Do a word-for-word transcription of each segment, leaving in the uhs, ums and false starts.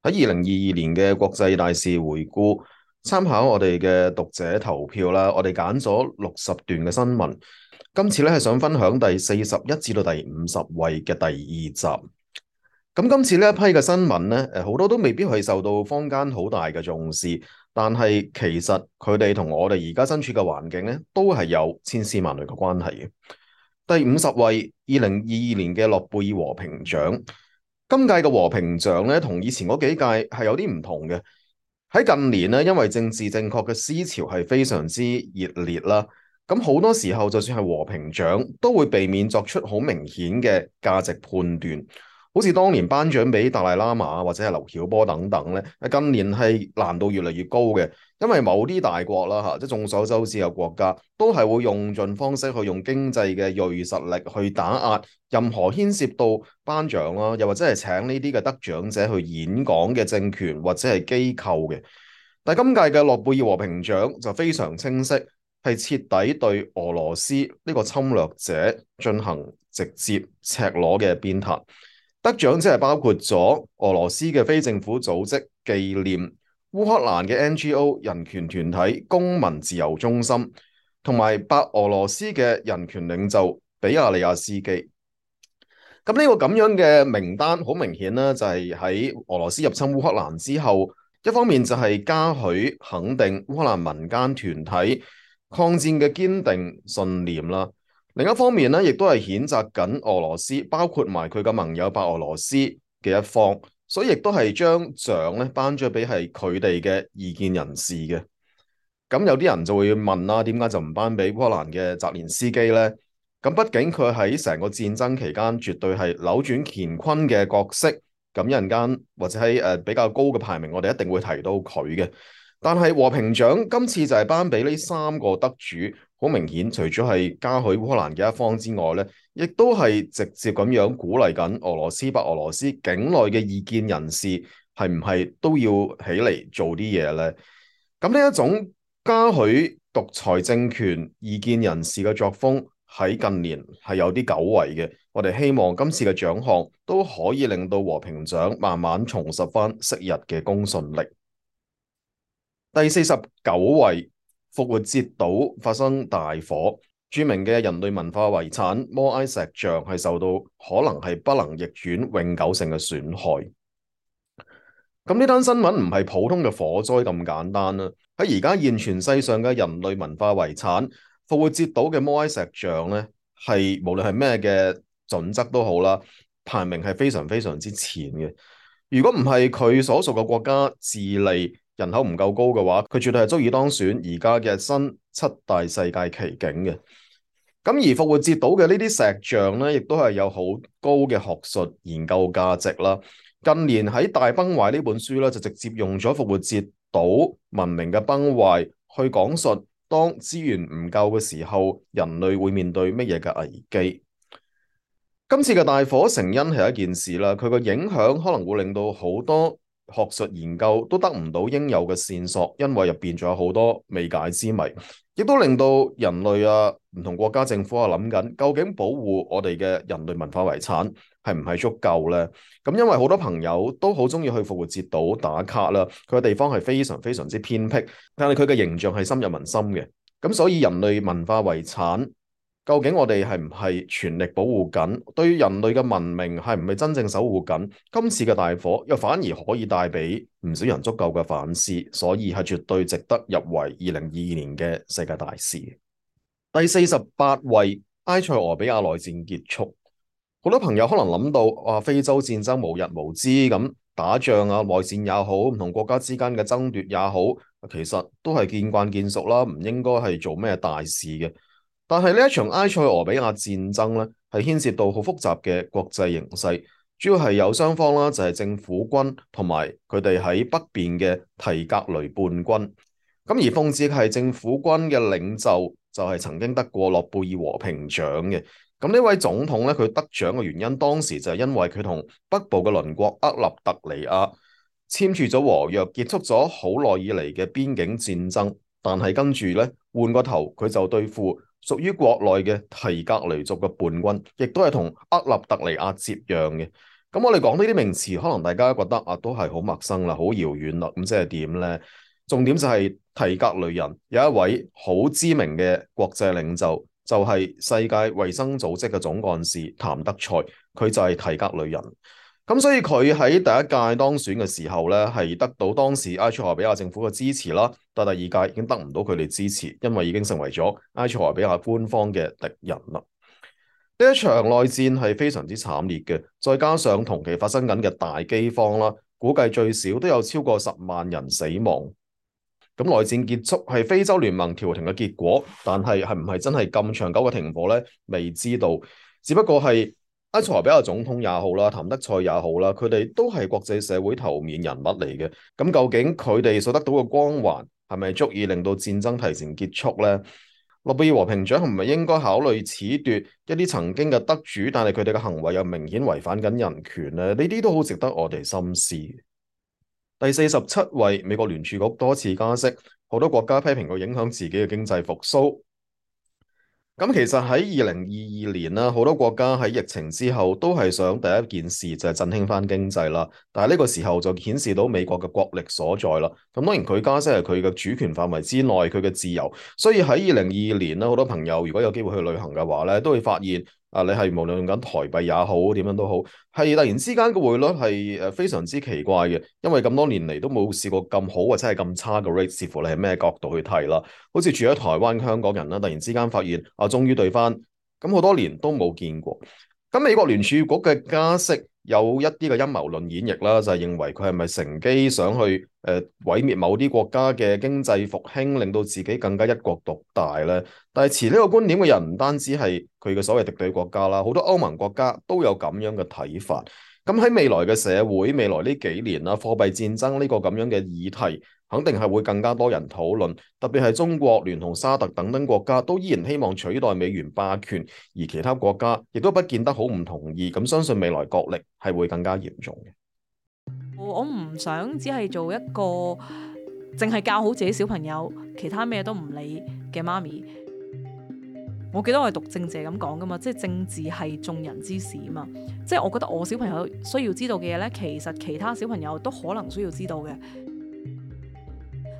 二零二二年嘅國際大事回顧，參考我哋嘅讀者投票啦，我哋揀咗六十段嘅新聞。今次咧係想分享第四十一至到第五十位嘅第二集。咁今次呢一批嘅新聞咧，誒好多都未必係受到坊間好大嘅重視，但係其實佢哋同我哋而家身處嘅環境咧，都係有千絲萬縷嘅關係嘅。第五十位，二零二二年嘅諾貝爾和平獎。今屆嘅和平獎咧，同以前嗰幾屆係有啲唔同嘅。喺近年咧，因為政治正確嘅思潮係非常之熱烈啦，咁好多時候就算係和平獎，都會避免作出好明顯嘅價值判斷。好似當年頒獎俾達賴喇嘛或者係劉曉波等等咧，近年係難度越嚟越高嘅，因為某啲大國啦嚇，即係眾所周知嘅國家，都係會用盡方式去用經濟嘅銳實力去打壓任何牽涉到頒獎啦，又或者係請呢啲嘅得獎者去演講嘅政權或者係機構嘅。但係今屆嘅諾貝爾和平獎就非常清晰，係徹底對俄羅斯呢個侵略者進行直接赤裸嘅鞭撻。得獎者係包括咗俄羅斯嘅非政府組織紀念、烏克蘭嘅 N G O 人權團體公民自由中心，同埋白俄羅斯嘅人權領袖比亞利亞斯基。咁呢個咁樣嘅名單，好明顯啦，就係喺俄羅斯入侵烏克蘭之後，一方面就係嘉許肯定烏克蘭民間團體抗戰嘅堅定信念啦。另一方面咧，亦都係譴責緊俄羅斯，包括埋佢嘅盟友白俄羅斯嘅一方，所以亦都係將獎咧頒咗俾係佢哋嘅異見人士嘅。咁有啲人就會問啦，點解就唔頒俾烏克蘭嘅澤連斯基呢？咁畢竟佢喺成個戰爭期間絕對係扭轉乾坤嘅角色，咁一陣間或者喺誒比較高嘅排名，我哋一定會提到佢嘅。但係和平獎今次就係頒俾呢三個得主，好明顯，除咗係嘉許烏克蘭嘅一方之外咧，亦都係直接咁樣鼓勵緊俄羅斯、白俄羅斯境內嘅異見人士係唔係都要起嚟做啲嘢咧？咁呢一種嘉許獨裁政權異見人士嘅作風喺近年係有啲久違嘅。我哋希望今次嘅獎項都可以令到和平獎慢慢重拾翻昔日嘅公信力。第四十九位，復活節島發生大火，著名嘅人類文化遺產摩埃石像係受到可能係不能逆轉永久性嘅損害。咁呢單新聞唔係普通嘅火災咁簡單啦。喺而家現存世上嘅人類文化遺產復活節島嘅摩埃石像咧，係無論係咩嘅準則都好啦，排名係非常非常之前嘅。如果唔係佢所屬嘅國家智利人口唔夠高嘅話，佢絕對係足以當選而家嘅新七大世界奇景嘅。咁而復活節島嘅呢啲石像咧，亦都係有好高嘅學術研究價值啦。近年喺《大崩壞》呢本書咧，就直接用咗復活節島文明嘅崩壞去講述當資源唔夠嘅時候，人類會面對乜嘢嘅危機。今次嘅大火成因係一件事啦，佢個影響可能會令到好多學術研究都得唔到應有嘅線索，因為入邊仲有好多未解之謎，亦都令到人類啊，唔同國家政府啊諗緊，究竟保護我哋嘅人類文化遺產係唔係足夠呢？咁因為好多朋友都好中意去復活節島打卡啦，佢嘅地方係非常非常之偏僻，但係佢嘅形象係深入民心嘅，咁所以人類文化遺產，究竟我哋係唔係全力保護緊？對於人類嘅文明係唔係真正守護緊？今次嘅大火又反而可以帶俾唔少人足夠嘅反思，所以係絕對值得入圍二零二二年嘅世界大事。第四十八位，埃塞俄比亞內戰結束。好多朋友可能諗到，哇，非洲戰爭無日無之咁打仗啊，內戰也好，唔同國家之間嘅爭奪也好，其實都係見慣見熟啦，唔應該係做咩大事嘅。但係呢一場埃塞俄比亞戰爭咧，係牽涉到好複雜嘅國際形勢，主要係有雙方啦，就係政府軍同埋佢哋喺北邊嘅提格雷叛軍。咁而諷刺係政府軍嘅領袖就係曾經得過諾貝爾和平獎嘅。咁呢位總統咧，佢得獎嘅原因，當時就係因為佢同北部嘅鄰國厄立特里亞簽署咗和約，結束咗好耐以嚟嘅邊境戰爭。但係跟住咧，換個頭佢就對付屬於國內嘅提格雷族嘅叛軍，亦都係同厄立特里亞接壤嘅。咁我哋講呢啲名詞，可能大家覺得啊都係好陌生啦，好遙遠啦。咁即係點呢？重點就係提格雷人有一位好知名嘅國際領袖，就係世界衛生組織嘅總幹事譚德塞，佢就係提格雷人。咁所以佢喺第一屆當選嘅時候咧，係得到當時埃塞俄比亞政府嘅支持啦。但第二屆已經得唔到佢哋支持，因為已經成為咗埃塞俄比亞官方嘅敵人啦。呢一場內戰係非常之慘烈嘅，再加上同期發生緊嘅大饑荒啦，估計最少都有超過十萬人死亡。咁內戰結束係非洲聯盟調停嘅結果，但係係唔係真係咁長久嘅停火呢？未知道，只不過係。埃塞俄比亞總統也好啦，譚德塞也好啦，佢哋都係國際社會頭面人物嚟嘅。咁究竟佢哋所得到嘅光環係咪足以令到戰爭提前結束呢？諾貝爾和平獎係咪應該考慮褫奪一啲曾經嘅得主，但係佢哋嘅行為又明顯違反緊人權呢？呢啲都好值得我哋深思。第四十七位，美國聯儲局多次加息，好多國家批評佢影響自己嘅經濟復甦。咁其實喺二零二二年啦，好多國家喺疫情之後都係想第一件事就係振興翻經濟啦。但係呢個時候就顯示到美國嘅國力所在啦。咁當然佢加息係佢嘅主權範圍之內，佢嘅自由。所以喺二零二二年啦，好多朋友如果有機會去旅行嘅話咧，都會發現啊，你係無論用緊台幣也好，點樣都好，係突然之間個匯率係誒非常之奇怪嘅，因為咁多年嚟都冇試過咁好或者係咁差嘅 rate，視乎你係咩角度去睇啦。好似住喺台灣嘅香港人啦，突然之間發現啊，終於對翻，咁好多年都冇見過。咁美國聯儲局嘅加息有一啲嘅陰謀論演繹啦，就係認為佢係咪乘機想去誒、呃、毀滅某啲國家嘅經濟復興，令到自己更加一國獨大咧？但係持呢個觀點嘅人唔單止係佢嘅所謂敵對國家啦，好多歐盟國家都有咁樣嘅睇法。咁喺未來嘅社會，未來呢幾年啦，貨幣戰爭呢個咁樣嘅議題，肯定係會更加多人討論。特別係中國聯同沙特等等國家，都依然希望取代美元霸權，而其他國家亦都不見得好唔同意。咁相信未來角力係會更加嚴重嘅。我唔想只係做一個淨係教好自己小朋友，其他咩都唔理嘅媽咪。我記得我係讀政治咁講噶嘛，即係政治係眾人之事啊嘛。即係我覺得我小朋友需要知道嘅嘢呢，其實其他小朋友都可能需要知道嘅。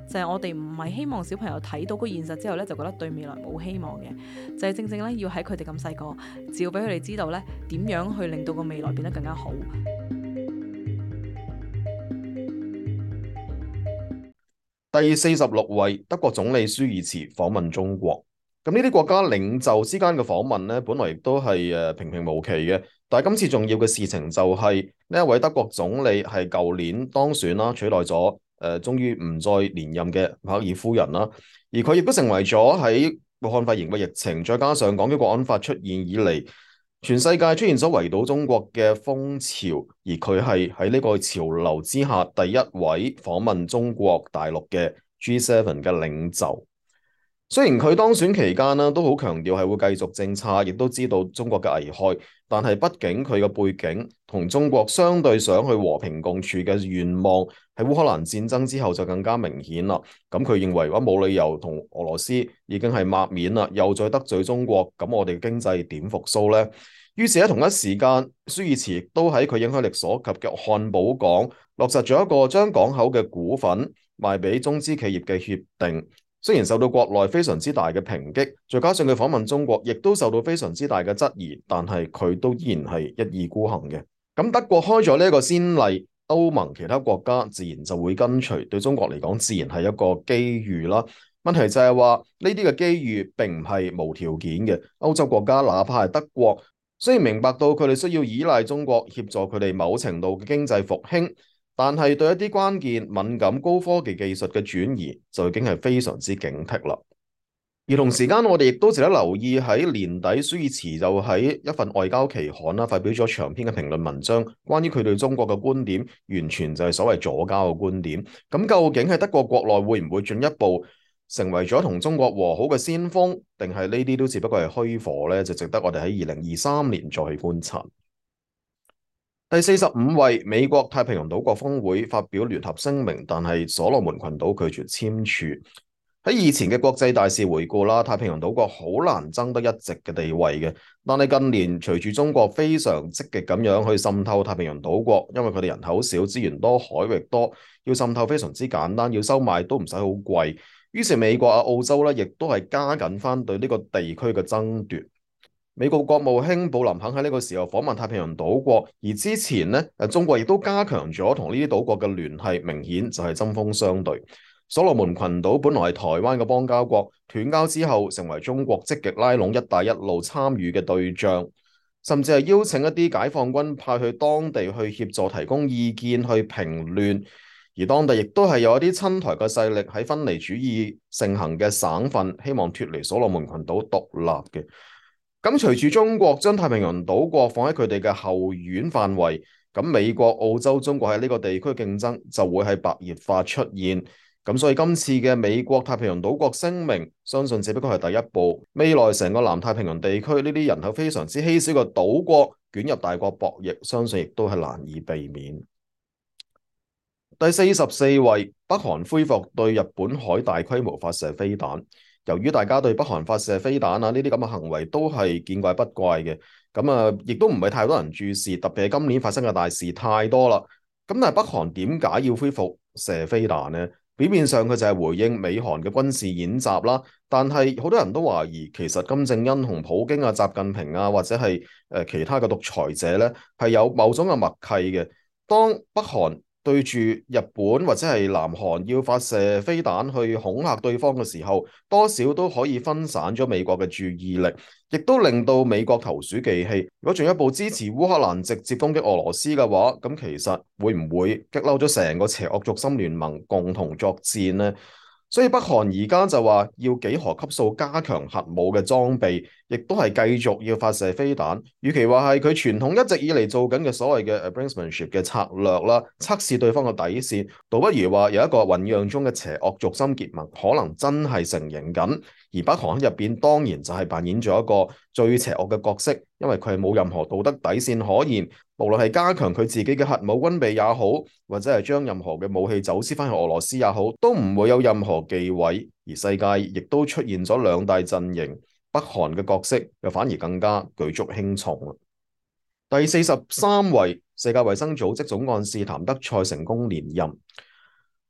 就係我哋唔係希望小朋友睇到個現實之後呢，就覺得對未來冇希望嘅。就係正正呢，要喺佢哋咁細個，只要俾佢哋知道呢，點樣去令到個未來變得更加好。第四十六位，德國總理舒爾茨訪問中國。咁呢啲國家領袖之間嘅訪問咧，本來亦都係誒平平無奇嘅。但係今次重要嘅事情就係呢一位德國總理係舊年當選啦，取代咗誒、呃，終於唔再連任嘅默克爾夫人啦。而佢亦都成為咗喺武漢肺炎嘅疫情，再加上港區國安法出現以嚟，全世界出現咗圍堵中國嘅風潮，而佢係喺呢個潮流之下第一位訪問中國大陸嘅 G 七 嘅領袖。雖然佢當選期間呢都好強調係會繼續政策，亦都知道中國嘅危害，但係畢竟佢嘅背景同中國相對想去和平共處嘅願望喺烏克蘭戰爭之後就更加明顯啦。咁佢認為話冇理由同俄羅斯已經係抹面啦，又再得罪中國，咁我哋經濟點復甦呢？於是喺同一時間，舒爾茨亦都喺佢影響力所及嘅漢堡港落實咗一個將港口嘅股份賣俾中資企業嘅協定。雖然受到國內非常之大嘅抨擊，再加上佢訪問中國，亦都受到非常之大嘅質疑，但係佢都依然係一意孤行嘅。咁德國開咗呢一個先例，歐盟其他國家自然就會跟隨，對中國嚟講自然係一個機遇啦。問題就係話呢啲嘅機遇並唔係無條件嘅，歐洲國家哪怕係德國，雖然明白到佢哋需要依賴中國協助佢哋某程度嘅經濟復興，但係對一啲關鍵敏感高科技技術嘅轉移就已經係非常之警惕啦。而同時間我哋亦都值得留意，喺年底舒爾茨就喺一份外交期刊啦發表咗長篇嘅評論文章，關於佢對中國嘅觀點完全就係所謂左膠嘅觀點。咁究竟喺德國國內會唔會進一步成為咗同中國和好嘅先鋒，定係呢啲都只不過係虛火呢？就值得我哋喺二零二三年再去觀察。第四十五位，美國太平洋島國峰會發表聯合聲明，但係所羅門群島拒絕簽署。喺以前嘅國際大事回顧啦，太平洋島國好難爭得一席嘅地位嘅。但係近年隨住中國非常積極咁樣去滲透太平洋島國，因為佢哋人口少、資源多、海域多，要滲透非常之簡單，要收買都唔使好貴。於是美國啊、澳洲咧，亦都係加緊翻對呢個地區嘅爭奪。美國國務卿布林肯喺呢個時候訪問太平洋島國，而之前呢，誒中國亦都加強咗同呢啲島國嘅聯繫，明顯就係針鋒相對。所羅門群島本來係台灣嘅邦交國，斷交之後成為中國積極拉攏一帶一路參與嘅對象，甚至係邀請一啲解放軍派去當地去協助提供意見去平亂，而當地亦都係有一啲親台嘅勢力喺分離主義盛行嘅省份，希望脫離所羅門群島獨立嘅。咁隨住中國將太平洋島國放喺佢哋嘅後院範圍，咁美國、澳洲、中國喺呢個地區競爭就會係白熱化出現。咁所以今次嘅美國太平洋島國聲明，相信只不過係第一步，未來成個南太平洋地區呢啲人口非常之稀少嘅島國捲入大國博弈，相信亦都係難以避免。第四十四位，北韓恢復對日本海大規模發射飛彈。由於大家對北韓發射飛彈啊呢啲咁嘅行為都係見怪不怪嘅，咁啊亦都唔係太多人注視，特別係今年發生嘅大事太多啦。咁但係北韓點解要恢復射飛彈呢？表面上佢就係回應美韓嘅軍事演習啦，但係好多人都懷疑其實金正恩同普京啊、習近平啊或者係誒其他嘅獨裁者咧係有某種嘅默契嘅。當北韓對住日本或者係南韓要發射飛彈去恐嚇對方嘅時候，多少都可以分散咗美國嘅注意力，亦都令到美國投鼠忌器。如果進一步支持烏克蘭直接攻擊俄羅斯嘅話，咁其實會唔會激嬲咗成個邪惡軸心聯盟共同作戰呢？所以北韓而家就話要幾何級數加強核武嘅裝備，亦都係繼續要發射飛彈。與其話係佢傳統一直以嚟做緊嘅所謂嘅 brinksmanship 嘅策略啦，測試對方嘅底線，倒不如話有一個醖釀中嘅邪惡軸心結盟，可能真係成形緊。而北韓喺入邊當然就係扮演咗一個最邪惡嘅角色，因為佢係冇任何道德底線可言。無論係加強佢自己嘅核武軍備也好，或者係將任何嘅武器走私翻去俄羅斯也好，都唔會有任何忌諱。而世界亦都出現咗兩大陣營，北韓嘅角色又反而更加舉足輕重。第四十三位，世界衛生組織總幹事譚德塞成功連任。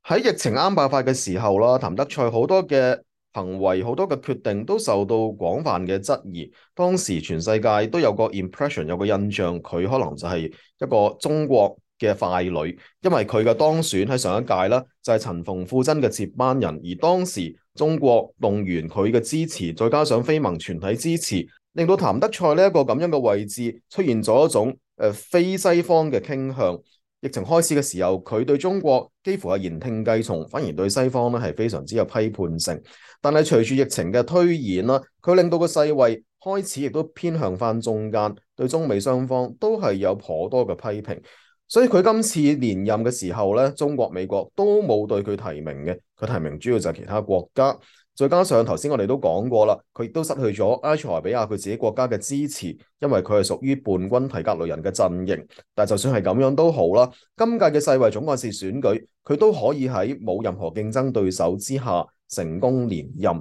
喺疫情啱爆發嘅時候啦，譚德塞好多嘅行為好多嘅決定都受到廣泛嘅質疑，當時全世界都有個 impression 有個印象，佢可能就係一個中國嘅傀儡，因為佢嘅當選喺上一屆啦，就係陳馮富珍嘅接班人，而當時中國動員佢嘅支持，再加上非盟全體支持，令到譚德塞呢一個咁樣嘅位置出現咗一種誒、呃、非西方嘅傾向。疫情開始嘅時候，佢對中國幾乎係言聽計從，反而對西方咧係非常之有批判性。但係隨住疫情嘅推演啦，佢令到個世衛開始亦都偏向翻中間，對中美雙方都係有頗多嘅批評。所以佢今次連任嘅時候咧，中國、美國都冇對佢提名嘅，佢提名主要就係其他國家。再加上頭先我哋都講過啦，佢亦都失去咗埃塞俄比亞佢自己國家嘅支持，因為佢係屬於叛軍提格雷人嘅陣營。但就算係咁樣都好啦，今屆嘅世衛總幹事選舉，佢都可以喺冇任何競爭對手之下成功連任。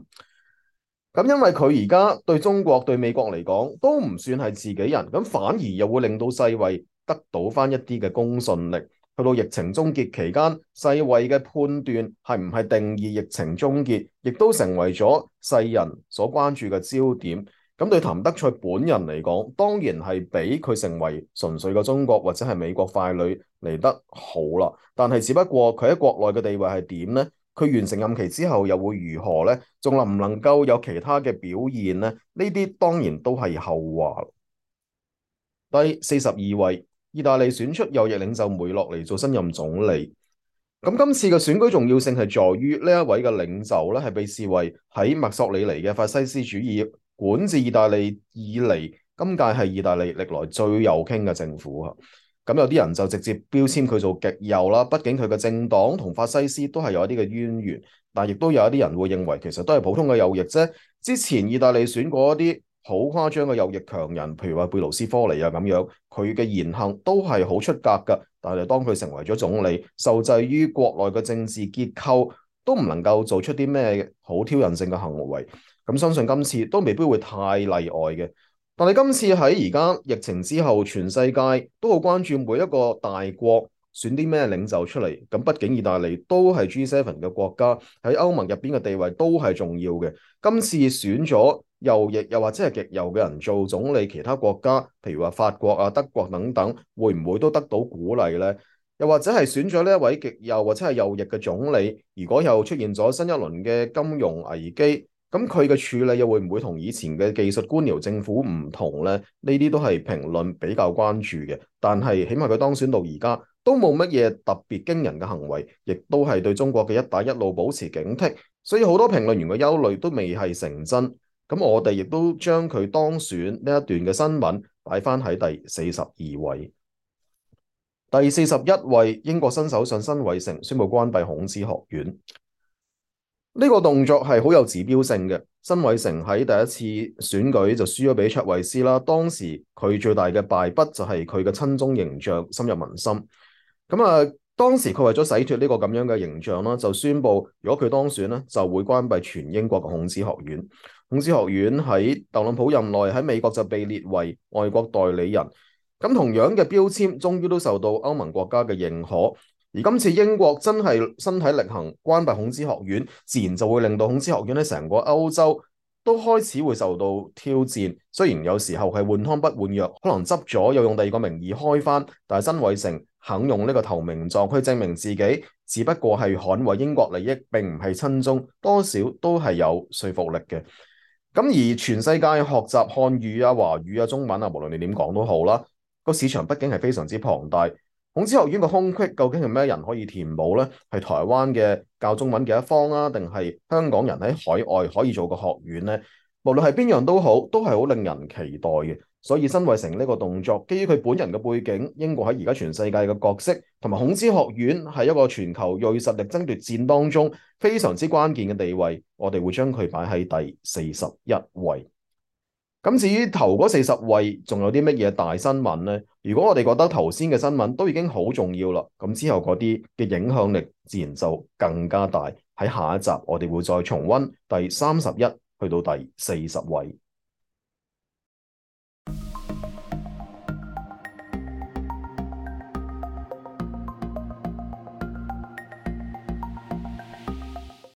咁因為佢而家對中國對美國嚟講都唔算係自己人，咁反而又會令到世衛得到翻一啲嘅公信力。去到疫情終結期間，世衛嘅判斷係唔係定義疫情終結，亦都成為咗世人所關注嘅焦點。咁對譚德塞本人嚟講，當然係比佢成為純粹嘅中國或者係美國傀儡嚟得好啦。但係只不過佢喺國內嘅地位係點呢？佢完成任期之後又會如何呢？仲能唔能夠有其他嘅表現呢？呢啲當然都係後話。第四十二位，意大利選出右翼領袖梅洛尼做新任總理。咁今次嘅選舉重要性係在於呢一位嘅領袖咧，係被視為喺墨索里尼嘅法西斯主義管治意大利以嚟，今屆係意大利歷來最右傾嘅政府啊。咁有啲人就直接標籤佢做極右啦，畢竟佢嘅政黨同法西斯都係有一啲嘅淵源，但亦都有一啲人會認為其實都係普通嘅右翼啫。之前意大利選過一啲好誇張嘅右翼強人，譬如話貝盧斯科尼啊咁樣，佢嘅言行都係好出格㗎。但係當佢成為咗總理，受制於國內嘅政治結構，都唔能夠做出啲咩好挑釁性嘅行為。咁相信今次都未必會太例外嘅。但係今次喺而家疫情之後，全世界都好關注每一個大國選啲咩領袖出嚟。咁畢竟意大利都係 G 七 嘅國家，喺歐盟入邊嘅地位都係重要嘅。今次選咗右翼又或者係極右嘅人做總理，其他國家譬如話法國啊、德國等等，會唔會都得到鼓勵呢？又或者係選咗呢一位極右或者係右翼嘅總理，如果又出現咗新一輪嘅金融危機，咁佢嘅處理又會唔會同以前嘅技術官僚政府唔同呢？呢啲都係評論比較關注嘅。但係起碼佢當選到而家都冇乜嘢特別驚人嘅行為，亦都係對中國嘅一帶一路保持警惕。所以好多評論員嘅憂慮都未係成真。咁我哋亦都將佢當選呢一段嘅新聞擺翻喺第四十二位。第四十一位，英國新首相辛偉誠宣布關閉孔子學院。呢個動作係好有指標性嘅。辛偉誠喺第一次選舉就輸咗俾卓慧思啦。當時佢最大嘅敗筆就係佢嘅親中形象深入民心。咁啊，當時佢為咗洗脫呢個咁樣嘅形象啦，就宣布如果佢當選咧，就會關閉全英國嘅孔子學院。孔子學院喺特朗普任內喺美國就被列為外國代理人。咁同樣嘅標籤，終於都受到歐盟國家嘅認可。而今次英國真係身體力行關閉孔子學院，自然就會令到孔子學院喺成個歐洲都開始會受到挑戰。雖然有時候係換湯不換藥，可能執咗又用第二個名義開翻，但係辛偉誠肯用呢個投名狀去證明自己，只不過係捍衛英國利益，並唔係親中，多少都係有說服力嘅。咁而全世界學習漢語啊、華語啊、中文啊，無論你點講都好啦。個市場畢竟係非常之龐大，孔子學院嘅空隙究竟係咩人可以填補呢？係台灣嘅教中文嘅一方啊，定係香港人喺海外可以做個學院呢？無論係邊樣都好，都係好令人期待嘅。所以辛偉誠呢個動作，基於佢本人嘅背景，英國喺而家全世界嘅角色，同埋孔子學院係一個全球銳實力爭奪戰當中非常之關鍵嘅地位，我哋會將佢擺喺第四十一位。咁至於頭嗰四十位，仲有啲乜嘢大新聞呢？如果我哋覺得頭先嘅新聞都已經好重要啦，咁之後嗰啲嘅影響力自然就更加大。喺下一集我哋會再重溫第三十一去到第四十位。